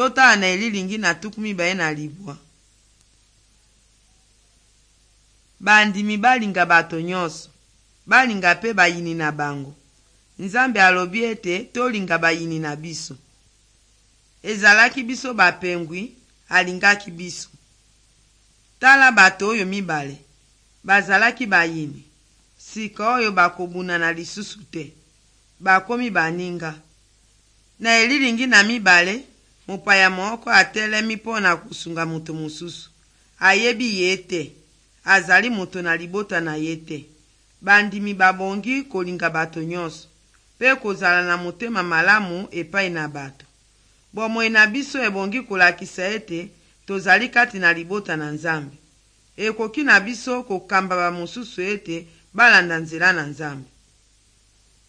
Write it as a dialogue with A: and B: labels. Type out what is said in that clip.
A: Totala na elilingi na 29. Bandimi balinga bato nyonso, balinga mpe bayini na bango. Nzambe alobi ete tolinga bayini na biso. Ezalaki biso bapengwi, alingaki biso. Tala bato oyo mibale, bazalaki bayini, sika oyo bakobunana lisusu te. Bakomi baninga. Na elilingi na mibale, mopaya moko atelemi mpo na kosunga moto mosusu. Ayebi ye te, azali moto na libota na ye te. Bandimi babongi kolinga bato nyonso, mpe kozala na motema malamu epai na bato. Bomoi na biso ebongi kolakisa ete tozali kati na libota na Nzambe. Ekoki na biso kokamba bamosusu ete balanda nzela na Nzambe.